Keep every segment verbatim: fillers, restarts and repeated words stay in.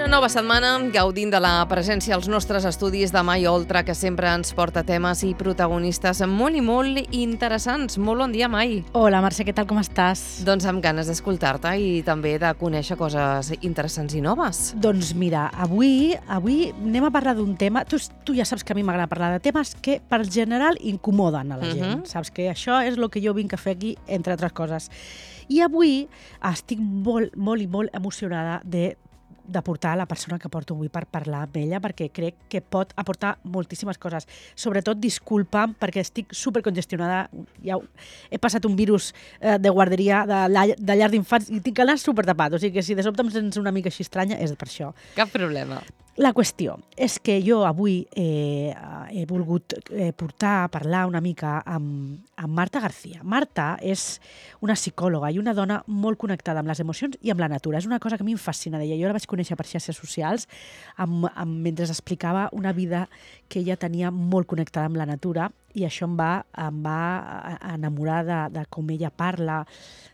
nova setmana, gaudint de la presència als nostres estudis de Mai Oltra, que sempre ens porta temes i protagonistes molt i molt interessants. Molt bon dia, Mai. Hola, Mercè, què tal, com estàs? Doncs amb ganes d'escoltar-te i també de conèixer coses interessants i noves. Doncs mira, avui avui anem a parlar d'un tema... Tu, tu ja saps que a mi m'agrada parlar de temes que, per general, incomoden a la gent. Mhm. Saps que això és el que jo vinc a fer aquí, entre altres coses. I avui estic molt, molt i molt emocionada de de portar la persona que porto avui per parlar amb ella, perquè crec que pot aportar moltíssimes coses. Sobretot, disculpa'm, perquè estic supercongestionada. Ja he passat un virus eh, de guarderia, de, llar- de llar d'infants, i tinc el nas supertapat. O sigui que si de sobte em sents una mica així estranya, és per això. Cap problema. La qüestió és que jo avui eh, he volgut eh, portar a parlar una mica amb, amb Marta García. Marta és una psicòloga i una dona molt connectada amb les emocions i amb la natura. És una cosa que a mi em fascina d'ella. Jo la vaig conèixer per xarxes socials amb, amb, mentre explicava una vida que ella tenia molt connectada amb la natura, i això em va, em va enamorar de, de com ella parla,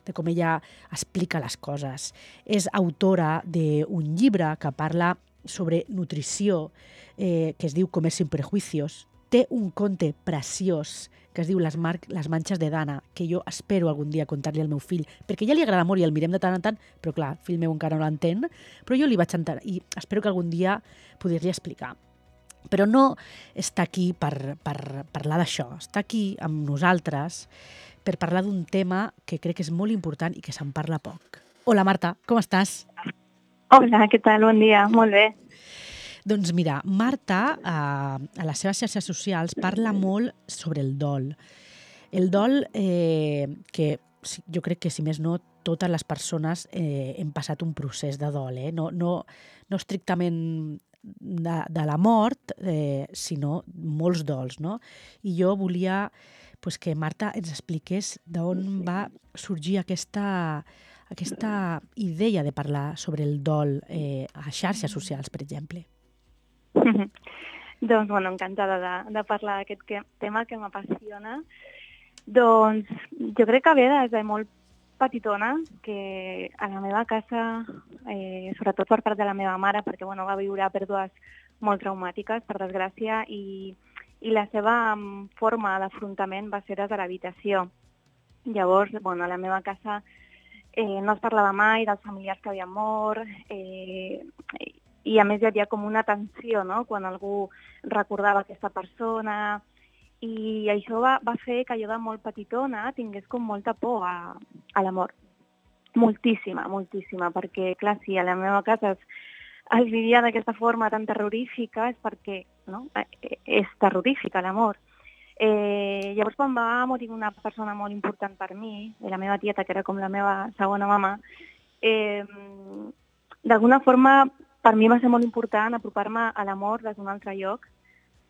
de com ella explica les coses. És autora d'un llibre que parla sobre nutrició, eh, que es diu Comer sin prejuicios. Té un conte preciós que es diu Les, mar les manxes de Dana, que jo espero algun dia contar-li al meu fill, perquè ja li agrada molt i el mirem de tant en tant, però clar, el fill meu encara no l'entén, però jo li vaig entendre i espero que algun dia poder-li explicar. Però no està aquí per, per parlar d'això, està aquí amb nosaltres per parlar d'un tema que crec que és molt important i que se'n parla poc. Hola, Marta, com estàs? Hola, què tal? Bon dia. Molt bé. Doncs mira, Marta, a, a les seves xarxes socials, parla molt sobre el dol. El dol eh, que si- jo crec que, si més no, totes les persones eh, hem passat un procés de dol, eh? no, no, no estrictament de, de la mort, eh, sinó molts dols, no? I jo volia pues, que Marta ens expliqués d'on va sorgir aquesta, aquesta idea de parlar sobre el dol eh, a xarxes socials, per exemple. Doncs, bueno, encantada de, de parlar d'aquest que- tema que m'apassiona. Doncs jo crec que ve des de molt petitona, que a la meva casa, eh, sobretot per part de la meva mare, perquè bueno, va viure pèrdues molt traumàtiques, per desgràcia, i, i la seva mm, forma d'afrontament va ser des de l'habitació. Llavors, bueno, a la meva casa eh, no es parlava mai dels familiars que havien mort, eh, i a més hi havia com una tensió, no?, quan algú recordava aquesta persona, i això va, va fer que jo de molt petitona tingués com molta por a, a la mort. Moltíssima, moltíssima, perquè, clar, si a la meva casa es, es vivia d'aquesta forma tan terrorífica és perquè, no?, eh, és terrorífica la mort. Eh, llavors, quan va morir una persona molt important per mi, la meva tieta, que era com la meva segona mama, eh, d'alguna forma per mi va ser molt important apropar-me a l'amor des d'un altre lloc,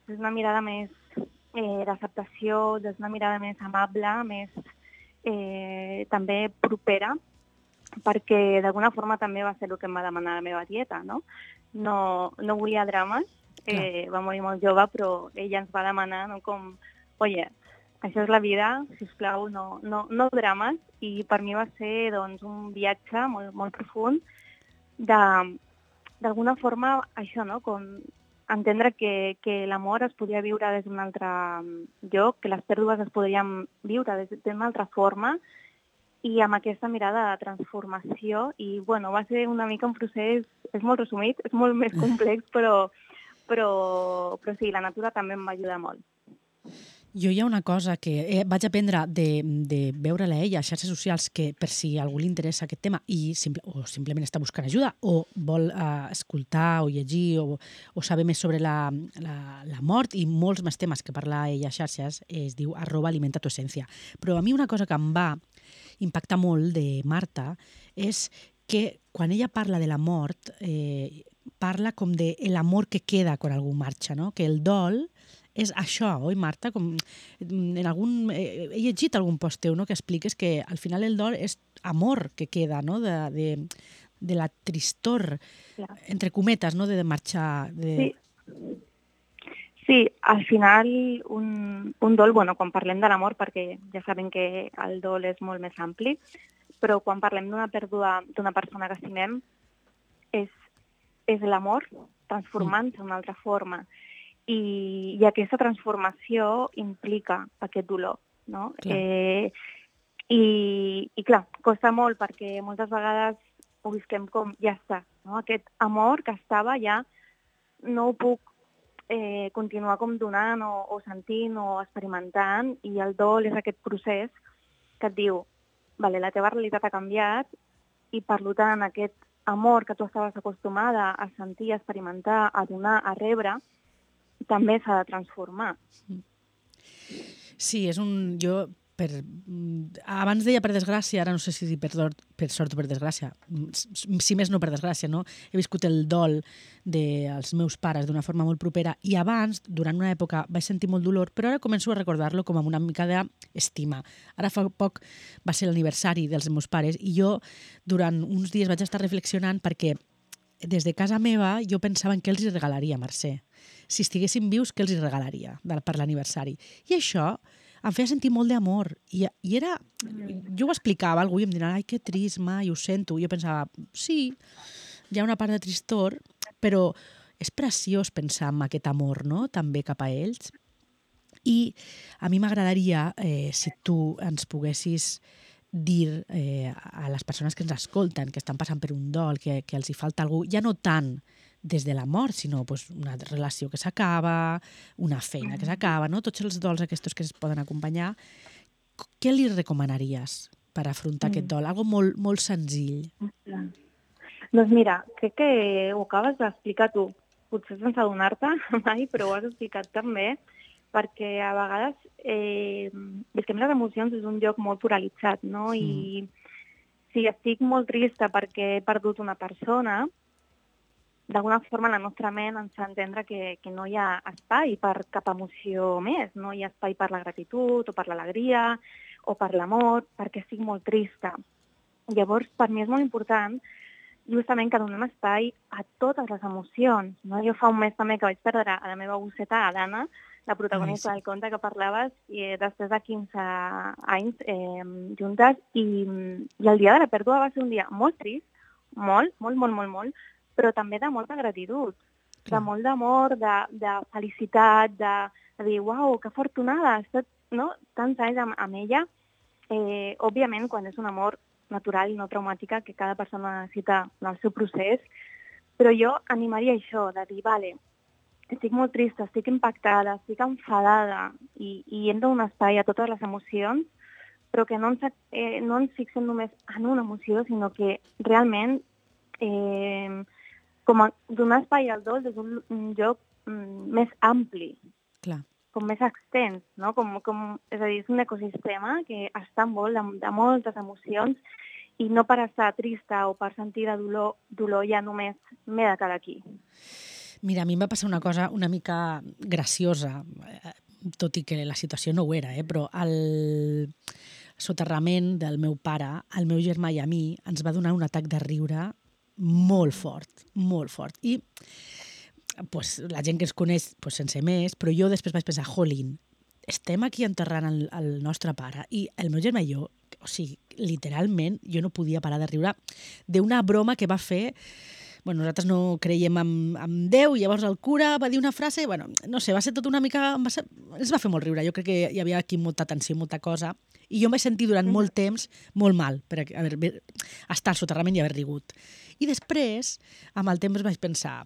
des d'una mirada més eh, d'acceptació, des d'una mirada més amable, més eh, també propera, perquè d'alguna forma també va ser el que em va demanar la meva tieta, no? No, no volia drames, eh, va morir molt jove, però ella ens va demanar, no, com, oye, això és la vida, sisplau, no, no, no drames, i per mi va ser doncs, un viatge molt, molt profund de, d'alguna forma, això, no?, com entendre que, que l'amor es podia viure des d'un altre lloc, que les pèrdues es podrien viure des d'una altra forma, i amb aquesta mirada de transformació. I, bueno, va ser una mica un procés, és molt resumit, és molt més complex, però, però, però sí, la natura també em va ajudar molt. Jo hi ha una cosa que eh, vaig aprendre de, de veure-la a ella a xarxes socials, que per si a algú li interessa aquest tema i simple, o simplement està buscant ajuda o vol eh, escoltar o llegir o, o saber més sobre la, la, la mort i molts més temes que parla ella a xarxes, es diu arroba alimenta tu essència. Però a mi una cosa que em va impactar molt de Marta és que quan ella parla de la mort eh, parla com de l'amor que queda quan algú marxa, no? Que el dol és això, oi, Marta? Com en algun, eh, he llegit algun post teu, no?, que expliques que al final el dol és amor que queda, no?, de, de, de la tristor, Clar. entre cometes, no?, de, de marxar. De... Sí. Sí, al final un, un dol, bueno, quan parlem de l'amor, perquè ja sabem que el dol és molt més ampli, però quan parlem d'una pèrdua d'una persona que estimem, és és l'amor transformant-se d'una altra forma. I, I aquesta transformació implica aquest dolor, no? Clar. Eh, i, I clar, costa molt perquè moltes vegades ho visquem com ja està, no? Aquest amor que estava ja no ho puc eh, continuar com donant o, o sentint o experimentant, i el dol és aquest procés que et diu, vale, la teva realitat ha canviat i per tant aquest amor que tu estaves acostumada a sentir, a experimentar, a donar, a rebre, també s'ha de transformar. Sí, és un... Jo, per, abans deia per desgràcia, ara no sé si per, per sort o per desgràcia, si més no per desgràcia, no? He viscut el dol dels meus pares d'una forma molt propera i abans, durant una època, vaig sentir molt dolor, però ara començo a recordar-lo com amb una mica d'estima. Ara fa poc va ser l'aniversari dels meus pares i jo durant uns dies vaig estar reflexionant perquè des de casa meva jo pensava en què els hi regalaria, Mercè. Si estiguessin vius, què els hi regalaria per l'aniversari? I això em feia sentir molt d'amor. I, i era... Jo ho explicava a algú i em diran, ai, que trist, mai, ho sento. I jo pensava, sí, hi ha una part de tristor, però és preciós pensar en aquest amor, no?, també cap a ells. I a mi m'agradaria, eh, si tu ens poguessis dir eh, a les persones que ens escolten, que estan passant per un dol, que, que els hi falta algú, ja no tant des de la mort, sinó pues, una relació que s'acaba, una feina que s'acaba, no? Tots els dols aquests que es poden acompanyar. Què li recomanaries per afrontar mm. aquest dol? Algo molt, molt senzill. Doncs mira, crec que ho acabes d'explicar tu. Potser sense adonar-te mai, però ho has explicat també, perquè a vegades eh, és que les emocions és un lloc molt pluralitzat, no? Mm. I si estic molt trista perquè he perdut una persona, d'alguna forma la nostra ment ens fa entendre que, que no hi ha espai per cap emoció més, no hi ha espai per la gratitud o per l'alegria o per l'amor, perquè estic molt trista. Llavors, per mi és molt important justament que donem espai a totes les emocions. No? Jo fa un mes també que vaig perdre a la meva gosseta, a l'Anna, la protagonista Ai, sí. del conte que parlaves, i després de quinze anys eh, juntes, i, i el dia de la pèrdua va ser un dia molt trist, molt, molt, molt, molt, molt, però també de molta gratitud, Clar. de molt d'amor, de, de felicitat, de, de dir, uau, que afortunada, has estat no? tants anys amb, amb ella. Eh, òbviament, quan és un amor natural i no traumàtica, que cada persona necessita en el seu procés, però jo animaria això, de dir, vale, estic molt trista, estic impactada, estic enfadada, i, i hem de donar espai a totes les emocions, però que no ens, eh, no ens fixem només en una emoció, sinó que realment eh, com a donar espai al dol des d'un un lloc mm, més ampli, Clar. com més extens, no? Com, com, és a dir, és un ecosistema que està envolt de, de moltes emocions i no per estar trista o per sentir de dolor, dolor ja només m'he de quedar aquí. Mira, a mi em va passar una cosa una mica graciosa, tot i que la situació no ho era, eh? Però el soterrament del meu pare, el meu germà i a mi, ens va donar un atac de riure molt fort, molt fort. I pues, la gent que ens coneix pues, sense més, però jo després vaig pensar, jolín, estem aquí enterrant el, el nostre pare i el meu germà i jo, o sigui, literalment, jo no podia parar de riure d'una broma que va fer. Bueno, nosaltres no creiem en, en Déu, i llavors el cura va dir una frase, bueno, no sé, va ser tot una mica... Va ser, ens va fer molt riure, jo crec que hi havia aquí molta tensió, molta cosa, i jo em vaig sentir durant molt temps molt mal per haver, estar al soterrament i haver rigut. I després, amb el temps vaig pensar,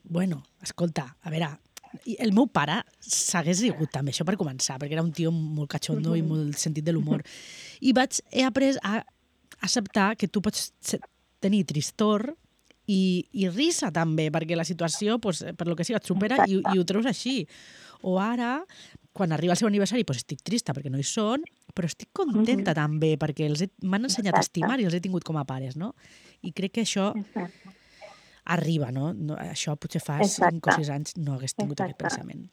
bueno, escolta, a veure, el meu pare s'hagués rigut també, això per començar, perquè era un tio molt catxondo i molt sentit de l'humor. I vaig, he après a acceptar que tu pots tenir tristor i, i risa també, perquè la situació, pues, per lo que sigui, et supera i, i ho treus així. O ara, quan arriba el seu aniversari, pues estic trista perquè no hi són, però estic contenta també perquè els m'han ensenyat a estimar i els he tingut com a pares, no? I crec que això arriba, no? no això potser fa cinc o sis anys no hagués tingut Exacte. aquest pensament.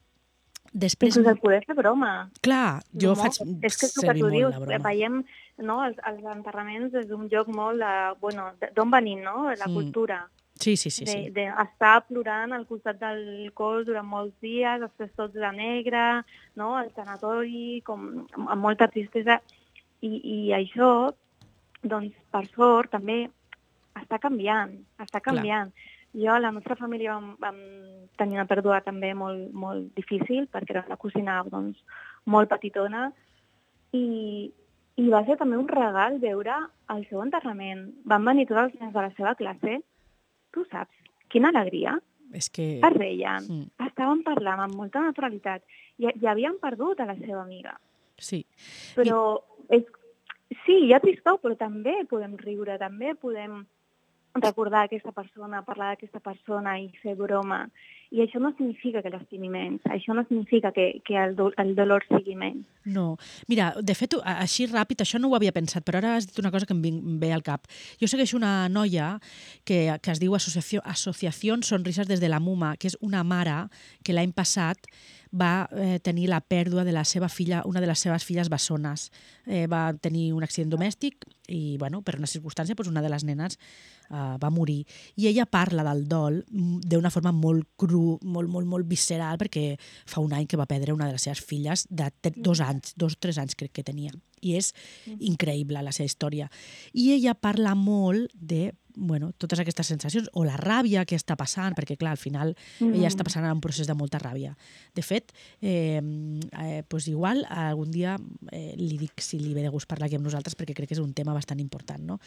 Després... Inclús el poder fer broma. Clar, jo no, faig és que servir molt dius, la broma. Veiem no, els, els enterraments des d'un lloc molt, de, bueno, d'on venim, no? La Mm. cultura. Sí, sí, sí. sí. D'estar de, de plorant al costat del cos durant molts dies, després tots de negre, no? El tanatori, com, amb molta tristesa. I, i això, doncs, per sort, també està canviant, està canviant. Clar. Jo, a la nostra família vam, vam tenir una pèrdua també molt, molt difícil, perquè era una cosina doncs, molt petitona, i, i va ser també un regal veure el seu enterrament. Van venir tots els nens de la seva classe, tu saps, quina alegria. És que... Es reien, Mm. estaven parlant amb molta naturalitat i, i havien perdut a la seva amiga. Sí. Però és, sí, hi ha tristor, però també podem riure, també podem recordar aquesta persona, parlar d'aquesta persona i fer broma. I això no significa que l'estimi menys, això no significa que, que el, do, el dolor sigui menys. No. Mira, de fet, a- així ràpid, això no ho havia pensat, però ara has dit una cosa que em, vin- em ve al cap. Jo segueixo una noia que, que es diu Associació, Associació Sonrises des de la Muma, que és una mare que l'any passat va eh, tenir la pèrdua de la seva filla, una de les seves filles bessones. Eh, va tenir un accident domèstic i, bueno, per una circumstància, doncs una de les nenes eh, va morir. I ella parla del dol mm, d'una forma molt cru, molt, molt, molt visceral, perquè fa un any que va perdre una de les seves filles de te- dos anys, dos o tres anys crec que tenia. I és increïble la seva història. I ella parla molt de bueno, totes aquestes sensacions, o la ràbia que està passant, perquè clar, al final Mm. ella està passant un procés de molta ràbia. De fet, eh, eh, pues igual algun dia eh, li dic si li ve de gust parlar aquí amb nosaltres, perquè crec que és un tema bastant important, no?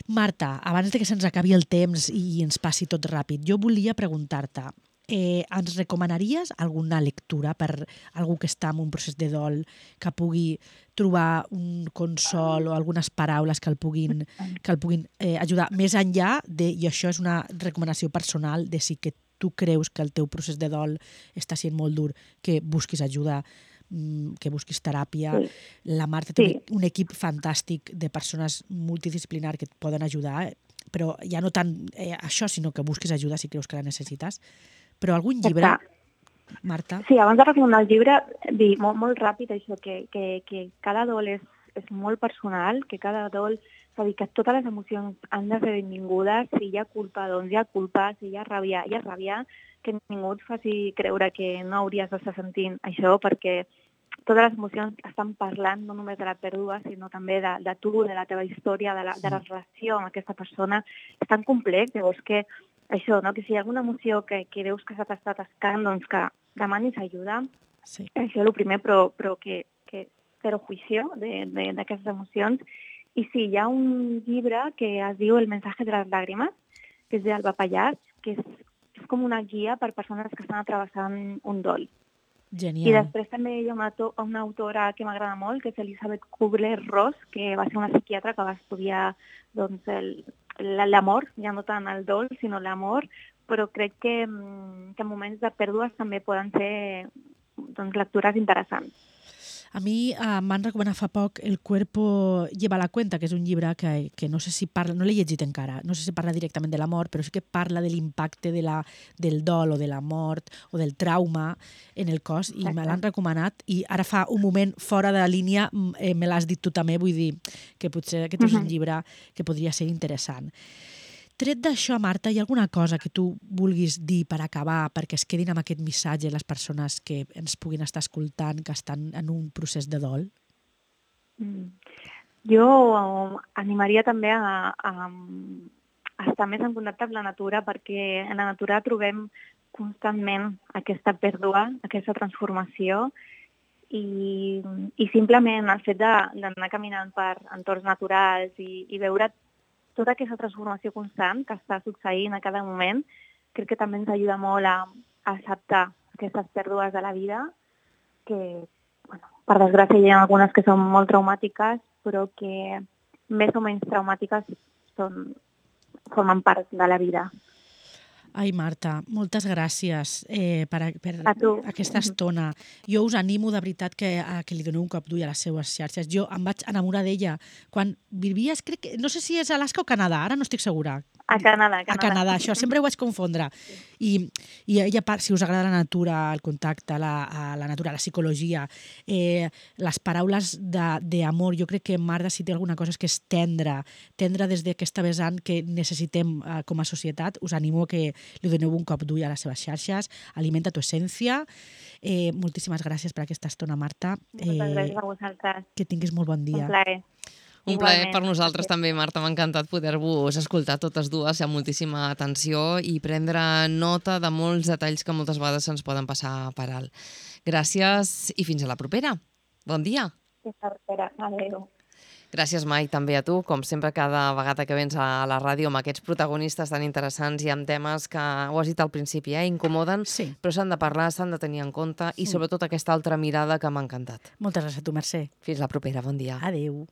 Marta, abans de que se'ns acabi el temps i ens passi tot ràpid, jo volia preguntar-te, eh, ens recomanaries alguna lectura per algú que està en un procés de dol, que pugui trobar un consol o algunes paraules que el puguin, que el puguin eh, ajudar més enllà de, i això és una recomanació personal, de si que tu creus que el teu procés de dol està sent molt dur, que busquis ajuda, mm, que busquis teràpia. Sí. La Marta té Sí. un, un equip fantàstic de persones multidisciplinar que et poden ajudar, eh, però ja no tant eh, això, sinó que busquis ajuda si creus que la necessites. Però algun llibre, Exacte. Marta? Sí, abans de recomanar el llibre, dir molt, molt ràpid això, que, que, que cada dol és, és molt personal, que cada dol, és a dir, que totes les emocions han de ser benvingudes, si hi ha culpa, doncs hi ha culpa, si hi ha ràbia, hi ha ràbia, que ningú et faci creure que no hauries d'estar sentint això, perquè totes les emocions estan parlant no només de la pèrdua, sinó també de, de tu, de la teva història, de la, de la relació amb aquesta persona. És tan complex, llavors que això, no? Que si hi ha alguna emoció que, que veus que se t'està atascant, doncs que demanis ajuda. Sí. Això és el primer, però, però que, que zero juicio de- de- d'aquestes emocions. I sí, hi ha un llibre que es diu El mensaje de les làgrimes, que és d'Alba Pallàs, que és, és com una guia per persones que estan travessant un dol. I Genial. després també hi ha una, auto- una autora que m'agrada molt, que és Elisabeth Kubler-Ross, que va ser una psiquiatra que va estudiar doncs, el- la- l'amor, ja no tant el dol, sinó l'amor, però crec que, mm, que en moments de pèrdues també poden ser doncs, lectures interessants. A mi eh, m'han recomanat fa poc El cuerpo lleva la cuenta, que és un llibre que, que no sé si parla, no l'he llegit encara, no sé si parla directament de la mort, però sí que parla de l'impacte de la, del dol o de la mort o del trauma en el cos, i me l'han recomanat, i ara fa un moment fora de la línia mm, eh, me l'has dit tu també, vull dir que potser aquest és un llibre que podria ser interessant. Tret d'això, Marta, hi ha alguna cosa que tu vulguis dir per acabar, perquè es quedin amb aquest missatge les persones que ens puguin estar escoltant, que estan en un procés de dol? Mm. Jo animaria també a, a, a estar més en contacte amb la natura, perquè en la natura trobem constantment aquesta pèrdua, aquesta transformació, i, i simplement el fet de- d'anar caminant per entorns naturals i, i veure tota aquesta transformació constant que està succeint a cada moment, crec que també ens ajuda molt a, a acceptar aquestes pèrdues de la vida, que, bueno, per desgràcia hi ha algunes que són molt traumàtiques, però que més o menys traumàtiques són, formen part de la vida. Ai, Marta, moltes gràcies eh, per, a- per A tu. aquesta estona. Jo us animo de veritat que, a, que li doneu un cop d'ull a les seues xarxes. Jo em vaig enamorar d'ella quan vivies, crec que, no sé si és a Alaska o Canadà, ara no estic segura. A Canadà, a A Canadà. Canadà, això, sempre ho vaig confondre. I, i ella, par- si us agrada la natura, el contacte, la, a la natura, la psicologia, eh, les paraules de- d'amor, jo crec que Marta, si té alguna cosa, és que és tendre, tendre des d'aquesta vessant que necessitem eh, com a societat. Us animo que li doneu un cop d'ull a les seves xarxes. Alimenta tu essència. Eh, moltíssimes gràcies per aquesta estona, Marta. Moltes Eh, gràcies a vosaltres. que tinguis molt bon Un dia. plaer. Un plaer Igualment. per nosaltres també, Marta. M'ha encantat poder-vos escoltar totes dues amb moltíssima atenció i prendre nota de molts detalls que moltes vegades se'ns poden passar per alt. Gràcies i fins a la propera. Bon dia. Fins a la propera. Adéu. Gràcies, Mai, també a tu, com sempre, cada vegada que vens a la ràdio amb aquests protagonistes tan interessants i amb temes que, ho has dit al principi, eh, incomoden, Sí. però s'han de parlar, s'han de tenir en compte i sobretot aquesta altra mirada que m'ha encantat. Moltes gràcies a tu, Mercè. Fins la propera, bon dia. Adéu.